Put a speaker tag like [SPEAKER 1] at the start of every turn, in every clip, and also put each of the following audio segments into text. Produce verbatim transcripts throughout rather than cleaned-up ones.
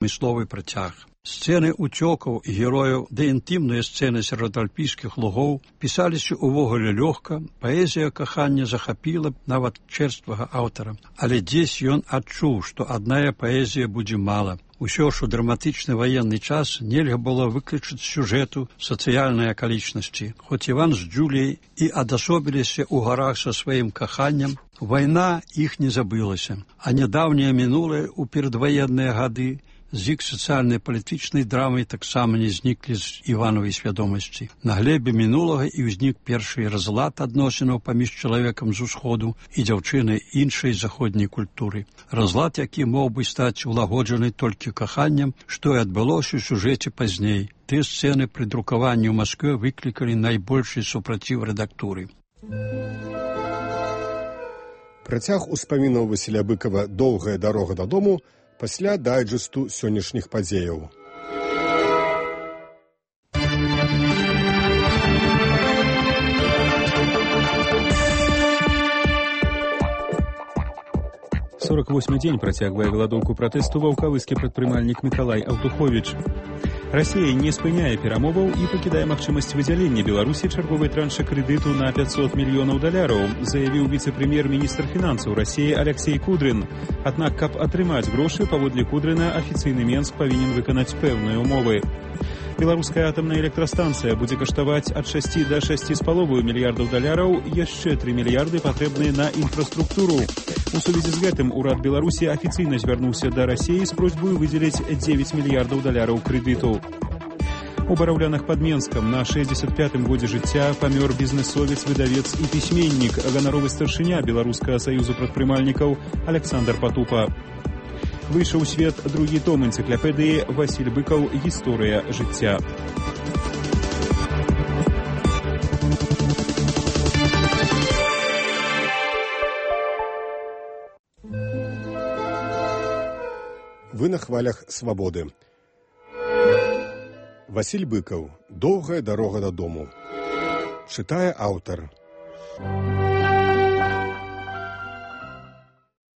[SPEAKER 1] адмысловы працяг. Сцэны уцёкаў і герояў ды інтымныя сцэны сярод альпійскіх лугоў пісаліся ўвогуле лёгка, паэзія кахання захапіла нават чэрствага аўтара. Але дзесь ён адчуў, што адная паэзія будзе мала. Усё ж у драматычны ваенны час нельга было выключыць з сюжэту сацыяльныя акалічнасці. Хоць Іван з Джуліяй і адасобіліся ў гарах са сваім каханнем, вайна іх не забылася, а нядаўняе мінулае ў перадваенныя гады з іх сацыяльнай палітычнай драмай таксама не зніклі з Івановай свядомасці. На глебе мінулага і ўзнік першы разлад адносінаў паміж чалавекам з усходу і дзяўчынай іншай заходняй культуры. Разлад, які мог бы стаць улагоджаны толькі каханнем, што і адбылося ў сюжэце пазней. Тыя сцэны пры друкаванні ў Маскве выклікалі найбольшы супраціў рэдактуры.
[SPEAKER 2] Працяг успамінаў Васіля Быкава «Доўгая дарога дадому» пасля дайджэсту сённяшніх падзеяў.
[SPEAKER 3] сорок восьмы дзень працягвае галадоўку пратэсту ваўкавыскі прадпрымальнік Мікалай Аўтуховіч. Расія не спыняе перамоваў і пакідае магчымасць выдзялення Беларусі чарговай транша крэдыту на пятьсот мільёнаў даляраў, заявіў віцэ-прэм'ер-міністр фінансаў Расіі Аляксей Кудрын. Аднак, каб атрымаць грошы, паводле Кудрына, афіцыйны Менск павінен выканаць пэўныя ўмовы. Беларуская атамная электрастанцыя будзе каштаваць ад шасці да шасці з паловаю мільярдаў даляраў, яшчэ тры мільярды патрэбныя на інфраструктуру. У сувязі з гэтым урад Беларусі афіцыйна звярнуўся да Расіі з просьбай выдзеліць дзевяць мільярдаў даляраў крэдыту. У Бараўлянах пад Менскам на шэсцьдзесят пятым годзе жыцця памёр бізнэсовец, выдавец і пісьменнік, ганаровы старшыня Беларускага саюзу прадпрымальнікаў Аляксандр Патупа. Выйшаў у свет другі том энцыклапедыі «Васіль Быкаў. Гісторыя жыцця».
[SPEAKER 2] Вы на хвалях свабоды. Васіль Быкаў. «Доўгая дарога дадому». Чытае аўтар.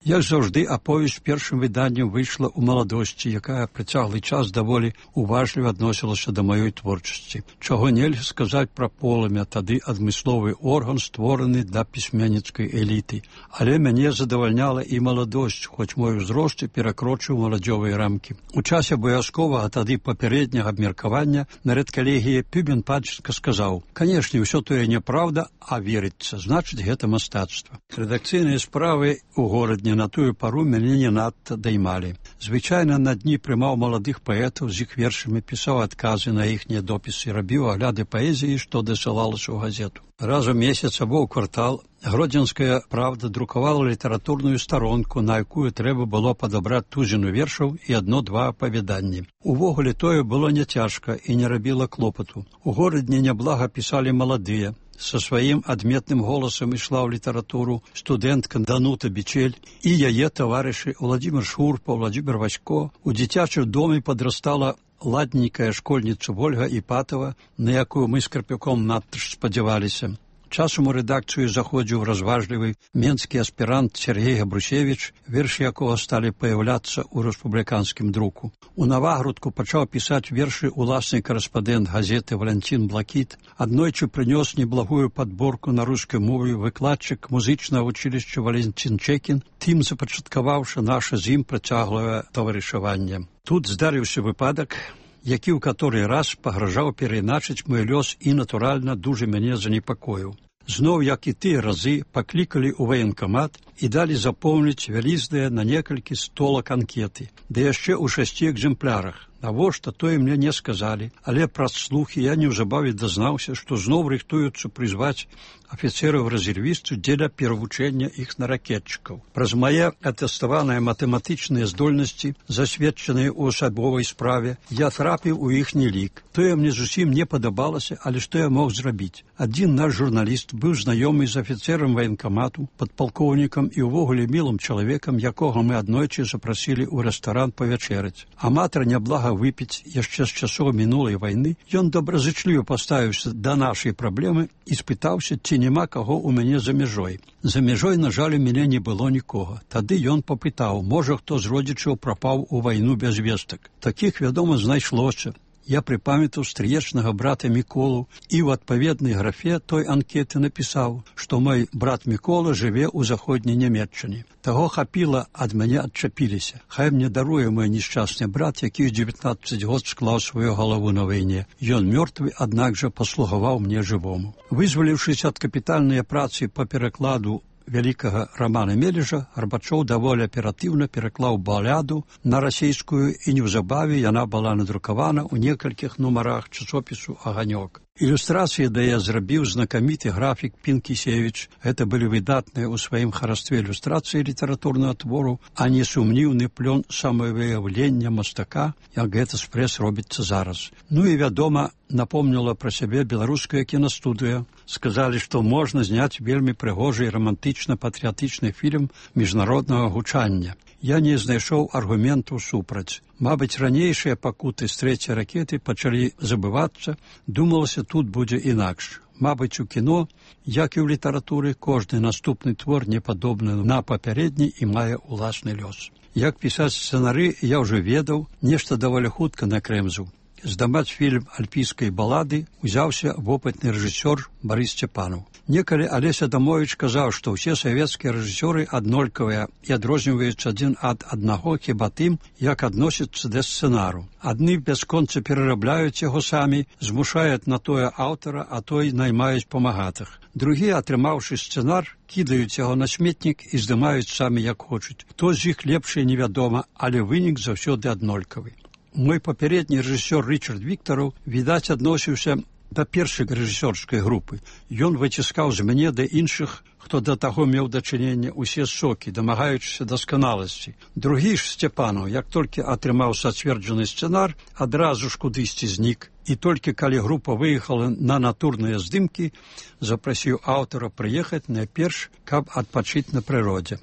[SPEAKER 1] Як заўжды, аповесць першым выданнем выйшла ў маладосці, якая працяглы час даволі уважліва адносілася да маёй творчасці. Чаго нельга сказаць пра полымя, тады адмысловы орган, створаны для пісьменніцкай эліты. Але мяне задавальняла і маладосць, хоць мой узрост перакрочыў маладзёвыя рамкі. У часе абавязковага тады папярэдняга абмеркавання на рэдкалегіі Пюбен Пачка сказаў: «Канешне, ўсё тое няправда, а верыцца, значыць, гэта мастацтва». Рэдакцыйныя справы ў горадні на тую пару мяне не надта даймалі. Звычайна на дні прымаў маладых паэтаў з іх вершамі, пісаў адказы на іхнія допісы, рабіў агляды паэзіі, што дасылалася ў газету. Раз у месяц або ў квартал Гродзенская правда друкавала літаратурную старонку, на якую трэба было падабраць тузіну вершаў і адно-два апавяданні. Увогуле тое было няцяжка і не рабіла клопату. У горадні няблага пісалі маладыя. Са сваім адметным голасам ішла ў літаратуру студэнтка Данута Бичель і яе таварышы Владзімир Шурпа, Владзімир Васько. У дзіцячым доме падрастала ладненькая школьніца Вольга Іпатова, на якую мы з Карпюком надта ж спадзяваліся. Часам у рэдакцыю заходзіў разважлівы менскі аспірант Сергей Габрусевіч, вершы якога сталі паяўляцца ў рэспубліканскім друку. У Навагрудку пачаў пісаць вершы уласны карэспандэнт газеты Валянцін Блакіт. Аднойчы прынёс неблагую падборку на рускай мове выкладчык музычнага вучылішча Валянцін Чекін, тым запачаткаваўшы наша з ім працяглае таварышаванне. Тут здарыўся выпадак, які ў каторы раз пагражаў перайначыць мой лёс і, натуральна, дужа мяне занепакоіў. Зноў, як і тыя разы, паклікалі ў ваенкамат і далі запоўніць вялізныя на некалькі столак анкеты, ды яшчэ ў шасці экземплярах. Навошта, тое мне не сказалі, але праз слухі я неўзабаве дазнаўся, што зноў рыхтуюцца прызваць афіцэраў-рэзервістаў дзеля перавучэння іх на ракетчыкаў. Праз мае атэставаныя матэматычныя здольнасці, засведчаныя ў асабовай справе, я трапіў у іхні лік. Тое мне зусім не падабалася, але што я мог зрабіць? Адзін наш журналіст быў знаёмы з афіцэрам ваенкамату, падпалкоўнікам і ўвогуле мілым чалавекам, якога мы аднойчы запрасілі ў рэстаран павячэраць. Аматар няблага выпіць яшчэ з часоў мінулай вайны, ён добразычліва паставіўся да нашай праблемы і спытаўся, ці няма каго ў мяне за мяжой. За мяжой, на жаль, у мяне не было нікога. Тады ён папытаў, можа, хто з родзічаў прапаў у вайну без вестак. Такіх, вядома, знайшлося. Я припамятаў стрыечнага брата Міколу і ў адпаведнай графе той анкеты напісаў, што мой брат Мікола жыве ў заходняй Нямецчыне. Таго хапіла, ад мяне адчапіліся. Хай мне даруе мой несчастны брат, які ў дзевятнаццаць год склаў сваю галаву на вайне. Ён мёртвы, аднак жа паслугаваў мне жывому. Вызваліўшыся ад капітальнай працы па перакладу вялікага Рамана Мележа, Гарбачоў даволі аператыўна пераклаў баляду на расейскую, і неўзабаве яна была надрукавана ў некалькіх нумарах часопісу «Аганёк». Ілюстрацыі да я зрабіў знакаміты графік Пінкісевіч. Гэта былі выдатныя ў сваім харастве ілюстрацыі літаратурнага твору, а не сумніўны плён самавыяўлення мастака, як гэта спрэс робіцца зараз. Ну і, вядома, напомніла пра сябе беларуская кінастудыя. Сказалі, што можна зняць вельмі прыгожы і рамантычна-патрыятычны фільм міжнароднага гучання. Я не знайшоў аргументаў супраць. Мабыць, ранейшыя пакуты з трэцяй ракеты пачалі забывацца, думалася, тут будзе інакш. Мабыць, у кіно, як і ў літаратуры, кожны наступны твор не падобны на папярэдні і мае ўласны лёс. Як пісаць сцэнары, я ўжо ведаў, нешта даволі хутка накрэмзаў. Здымаць фільм альпійскай балады узяўся вопытны рэжысёр Барыс Сцяпанаў. Некалі Алеся Адамовіч казаў, што ўсе савецкія рэжысёры аднолькавыя і адрозніваюцца адзін ад аднаго хіба тым, як адносяцца да сцэнару. Адны бясконца перарабляюць яго самі, змушаюць на тое аўтара, а той наймаюць памагатых. Другія, атрымаўшы сцэнар, кідаюць яго на сметнік і здымаюць самі як хочуць. Хто з іх лепшы, невядома, але вынік заўсёды аднолькавы. Мой папярэдні рэжысёр Рычард Віктараў, відаць, адносіўся да першай рэжысёрскай групы. Ён выціскаў з мяне да іншых, хто да таго меў дачыненне, усе сокі, дамагаючыся дасканаласці. Другі ж Сцяпанаў, як толькі атрымаў сацверджаны сцэнар, адразу ж кудысьці знік. І толькі калі група выехала на натурныя здымкі, запрасіў аўтара прыехаць найперш, каб адпачыць на прыродзе.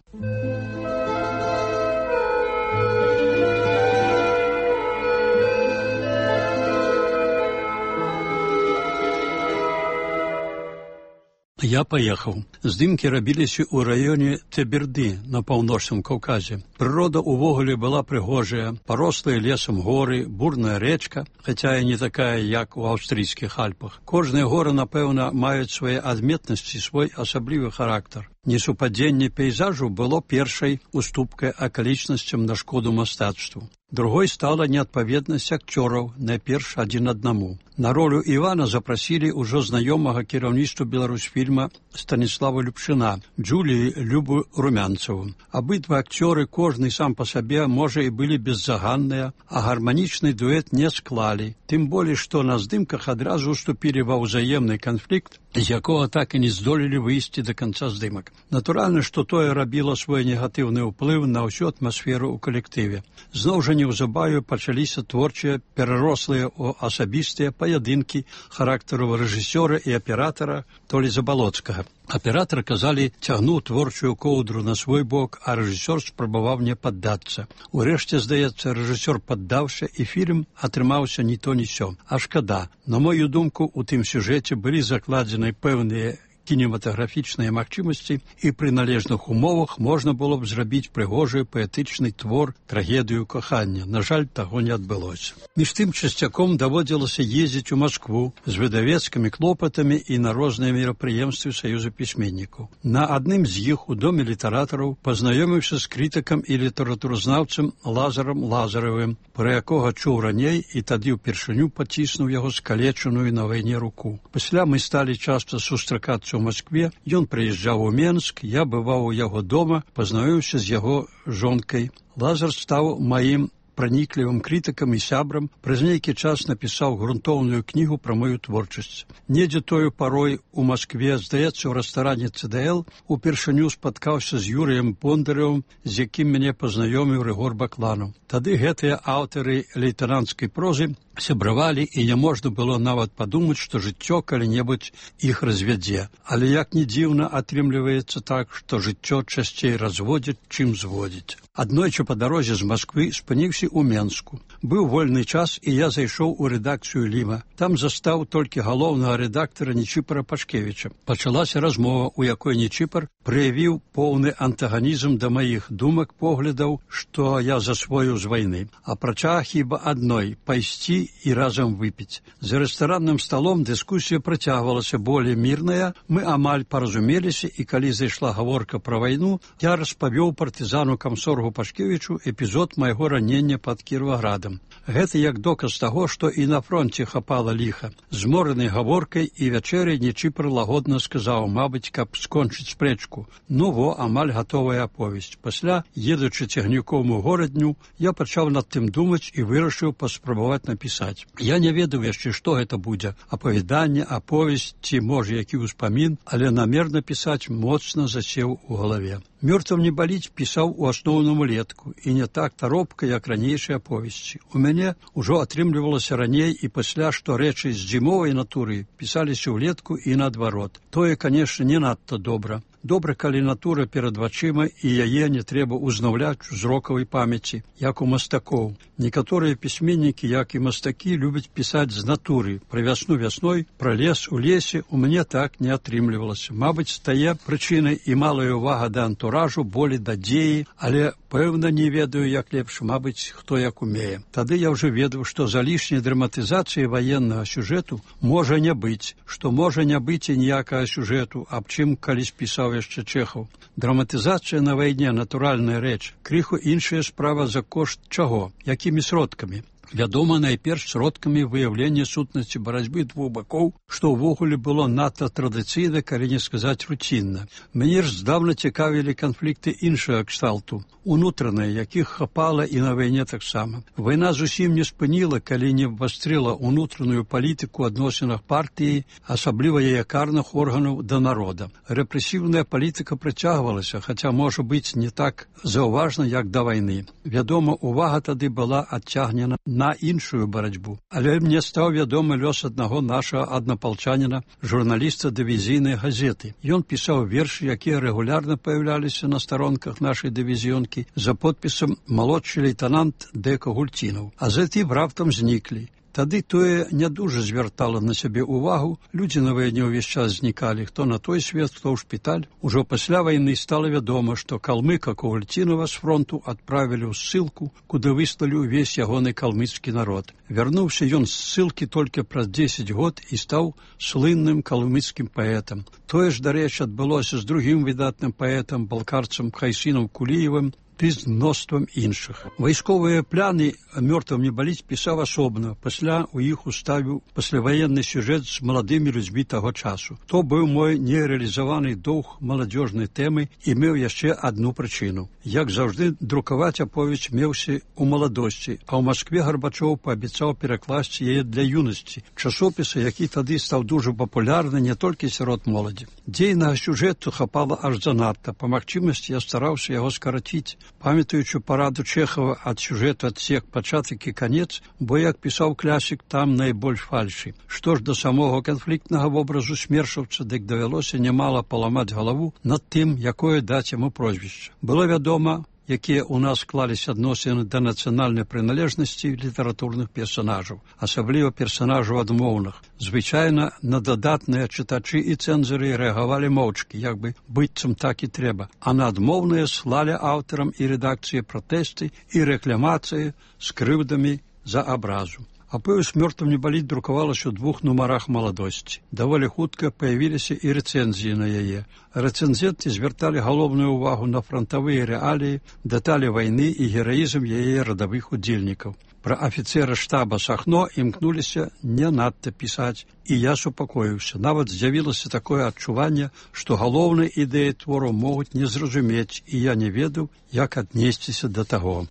[SPEAKER 1] Я паехаў. Здымкі рабіліся ў раёне Теберды на паўночным Каўказе. Прырода ўвогуле была прыгожая, парослая лесам горы, бурная рэчка, хаця і не такая, як у аўстрыйскіх Альпах. Кожныя горы, напэўна, маюць свае адметнасці, свой асаблівы характар. Несупадзенне пейзажу было першай уступкай акалічнасцям на шкоду мастацтву. Другой стала неадпаведнасць акцёраў, найперш адзін аднаму. На ролю Івана запрасілі ўжо знаёмага кіраўніцтву Беларусьфільма Станіслава Любчына, Джуліі Любу Румянцаву. Абидва акцёры, кожны сам па сабе, можа, і былі беззаганныя, а гарманічны дуэт не склалі. Тым болей, што на здымках адразу уступілі ва ўзаемны канфлікт, з якога так і не здолелі выйсці да канца здымак. Натуральна, што тое рабіла свой негатыўны ўплыў на ўсю атмасферу ў калектыве. Зноў жа неўзабаве пачаліся творчыя, перарослыя ў асабістыя паядынкі характару рэжысёра і аператара Толі Забалоцкага. Аператар, казалі, цягнуў творчую коўдру на свой бок, а рэжысёр спрабаваў не паддацца. Урэшце, здаецца, рэжысёр паддаўся, і фільм атрымаўся ні то ні сё. А шкада. На мою думку, у тым сюжэце былі закладзены пэўныя кінематаграфічныя магчымасці, і пры належных умовах можна было б зрабіць прыгожы паэтычны твор, трагедыю кахання. На жаль, таго не адбылося. Між тым часцяком даводзілася ездзіць у Маскву з выдавецкімі клопатамі і на розныя мерапрыемствы Саюза пісьменнікаў. На адным з іх у доме літаратараў пазнаёміўся з крытыкам і літаратуразнаўцам Лазарам Лазаравым, пра якога чуў раней і тады ўпершыню паціснуў яго скалечаную на вайне руку. Пасля мы сталі часта сустракацца ў Маскве, ён прыязджаў у Менск, я бываў у яго дома, пазнаёміўся з яго жонкай. Лазар стаў маім праніклівым крытыкам і сябрам, праз нейкі час напісаў грунтоўную кнігу пра мою творчасць. Недзе тою парой у Маскве, здаецца, у рэстаране Цэ Дэ Эл, упершыню спаткаўся з Юрыем Бондаревым, з якім мяне пазнаёміў Рыгор Бакланаў. Тады гэтыя аўтары лейтэнанцкай прозы сябравалі, і няможна было нават падумаць, што жыццё калі-небудзь іх развядзе. Але як ні дзіўна, атрымліваецца так, што жыццё часцей разводзіць, чым зводзіць. Аднойчы па дарозе з Масквы спыніўся ў Менску. Быў вольны час, і я зайшоў у рэдакцыю Ліма. Там застаў толькі галоўнага рэдактара Нечіпара Пашкевіча. Пачалася размова, у якой Нечіпар праявіў поўны антаганізм да маіх думак, поглядаў, што я засвоіў з вайны. Апрача хіба адной – пайсці і разам выпіць. За рэстаранным сталом дыскусія працягвалася болей мірная, мы амаль паразумеліся, і калі зайшла гаворка пра вайну, я распавёў партызану камсоргу Пашкевічу эпізод майго ранення пад Кіроваградам. Гэта як доказ таго, што і на фронце хапала ліха. Змораны гаворкай і вячэрай Нечіпар лагодна сказаў, мабыць, каб скончыць спрэчку. Ну во, амаль гатовая аповесць. Пасля, едучы цягніком у горадню, я пачаў над тым думаць і вырашыў паспрабаваць напісаць. Я не ведаў яшчэ, што гэта будзе. Апавяданне, аповесць ці, можа, які ўспамін, але намерна пісаць моцна засеў у галаве. «Мёртвым не баліць» пісаў у асноўным улетку, і не так таропка, як ранейшыя аповесці. У мяне ўжо атрымлівалася раней і пасля, што рэчы з зімовай натуры пісаліся ўлетку і наадварот. Тое, канешне, не надта добра. Добра, калі натура перад вачыма, і яе не трэба ўзнаўляць у зрокавай памяці, як у мастакоў. Некаторыя пісьменнікі, як і мастакі, любяць пісаць з натуры. Пра вясну вясной, пра лес у лесе у мяне так не атрымлівалася. Мабыць, стае прычынай і малая ўвага да антуражу, болей да дзеі, але пэўна не ведаю, як лепш, мабыць, хто як умее. Тады я ўжо ведаў, што за лішняй драматызацыяй ваеннага сюжэту можа не быць, што можа не быць і ніякага сюжэту, аб чым калісь пісаў яшчэ Чэхаў. Драматызацыя на вайне натуральная рэч. Крыху іншая справа за кошт чаго? Якімі сродкамі? Вядома, найперш сродкамі выяўлення сутнасці барацьбы двух бакоў, што ўвогуле было надта традыцыйна, калі не сказаць руцінна. Мяне ж здаўна цікавілі канфлікты іншага кшталту, унутраныя, якіх хапала і на вайне таксама. Вайна зусім не спыніла, калі не абвастрыла унутраную палітыку ў адносінах партыі, асабліва яе карных органаў да народа. Рэпрэсіўная палітыка працягвалася, хаця, можа быць, не так заўважна, як да вайны. Вядома, увага тады была адцягнена на іншую барацьбу. Але мне стаў вядомы лёс аднаго нашага аднапалчаніна, журналіста дывізійнай газеты. Ён пісаў вершы, якія рэгулярна паяўляліся на старонках нашай дывізіёнкі за подпісам «Малодшы лейтенант Дека Гультінаў». А затым раптам зніклі. Тады тое не дужа звяртала на сябе ўвагу, людзі на вайне ўвесь час знікалі, хто на той свет, хто ў шпіталь. Ужо пасля вайны стала вядома, што калмыка Ковальцінава з фронту адправілі ў ссылку, куды выслалі ўвесь ягоны калмыцкі народ. Вярнуўся ён з ссылкі толькі праз дзесяць год і стаў слынным калмыцкім паэтам. Тое ж, дарэчы, адбылося з другім выдатным паэтам, балкарцам Хайсінам Куліевым, ды з мноствам іншых. Вайсковыя пляны «Мёртвым не баліць» пісаў асобна, пасля у іх уставіў пасляваенны сюжэт з маладымі людзьмі таго часу. То быў мой нерэалізаваны доўг маладзёжнай тэмы і меў яшчэ адну прычыну. Як заўжды, друкаваць аповесць меўся ў маладосці, а ў Маскве Гарбачоў паабяцаў перакласці яе для юнасці, часопіса, які тады стаў дужа папулярны не толькі сярод моладзі. Дзейнага сюжэту хапала аж занадта, па магчымасці я стараўся яго скараціць. Памятаючы параду Чэхава ад сюжэту адсек пачатак і канец, бо, як пісаў класік, там найбольш фальшы. Што ж да самога канфліктнага вобразу смершаўца, дык давялося нямала паламаць галаву над тым, якое даць яму прозвішча. Было вядома, якія ў нас склаліся адносіны да нацыянальнай прыналежнасці літаратурных персанажаў, асабліва персанажаў адмоўных. Звычайна на дадатныя чытачы і цэнзары рэагавалі моўчкі, як бы быццам так і трэба, а на адмоўныя слалі аўтарам і рэдакцыі пратэсты і рэкламацыі з крыўдамі за абразу. Аповесць «Мёртвым не баліць» друкавалася ў двух нумарах маладосці. Даволі хутка паявіліся і рэцэнзіі на яе. Рэцэнзенты звярталі галоўную ўвагу на франтавыя рэаліі, дэталі вайны і гераізм яе радавых удзельнікаў. Пра афіцэра штаба Сахно імкнуліся не надта пісаць, і я супакоіўся. Нават з'явілася такое адчуванне, што галоўныя ідэі твору могуць не зразумець, і я не ведаў, як аднесціся да таго.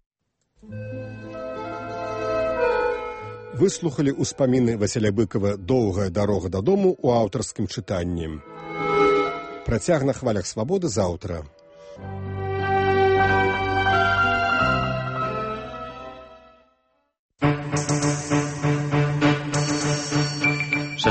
[SPEAKER 2] Выслухалі ўспаміны Васіля Быкава «Доўгая дарога дадому» у аўтарскім чытанні. Працяг на хвалях свабоды заўтра.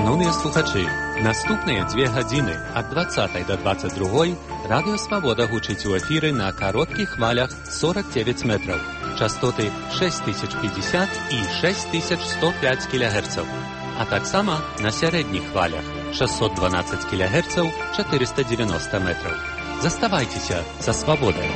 [SPEAKER 4] Шановныя слухачы, наступныя дзве гадзіны ад дваццатай да дваццаць другой радыё Свабода гучыць у эфіры на кароткіх хвалях сорок девять метраў, частоты шесть тысяч пятьдесят і шесть тысяч сто пять кілягерцаў, а таксама на сярэдніх хвалях шестьсот двенадцать кілягерцаў, четыреста девяносто метраў. Заставайцеся са Свабодай.